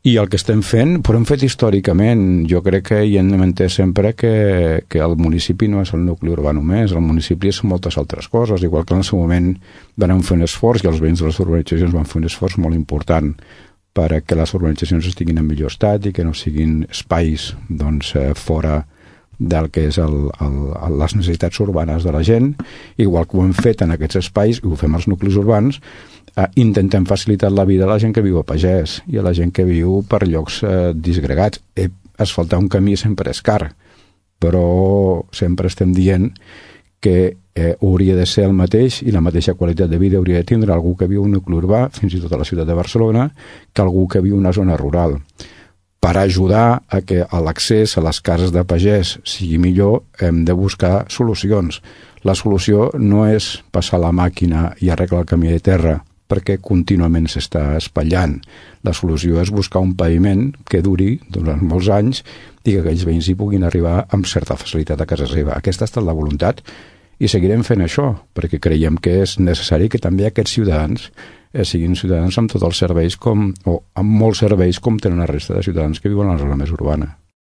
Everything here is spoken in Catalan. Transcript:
I el que estem fent, però hem fet històricament. Jo crec que hi hem entès sempre que el municipi no és el nucli urbà només, el municipi és moltes altres coses, igual que en el seu moment vam fer un esforç, i els veïns de les urbanitzacions van fer un esforç molt important perquè les urbanitzacions estiguin en millor estat i que no siguin espais fora del que és les necessitats urbanes de la gent, igual que ho hem fet en aquests espais, i ho fem als nuclis urbans, intentem facilitar la vida a la gent que viu a pagès i a la gent que viu per llocs disgregats. Asfaltar un camí sempre és car, però sempre estem dient que hauria de ser el mateix i la mateixa qualitat de vida hauria de tindre algú que viu un nucli urbà, fins i tot a la ciutat de Barcelona, que algú que viu una zona rural. Per ajudar a que l'accés a les cases de pagès sigui millor, hem de buscar solucions. La solució no és passar la màquina i arreglar el camí de terra, perquè contínuament s'està espatllant. La solució és buscar un paviment que duri durant molts anys i que aquells veïns hi puguin arribar amb certa facilitat a casa seva. Aquesta ha estat la voluntat i seguirem fent això, perquè creiem que és necessari que també aquests ciutadans siguin ciutadans amb tots els serveis o amb molts serveis com tenen la resta de ciutadans que viuen a la zona més urbana.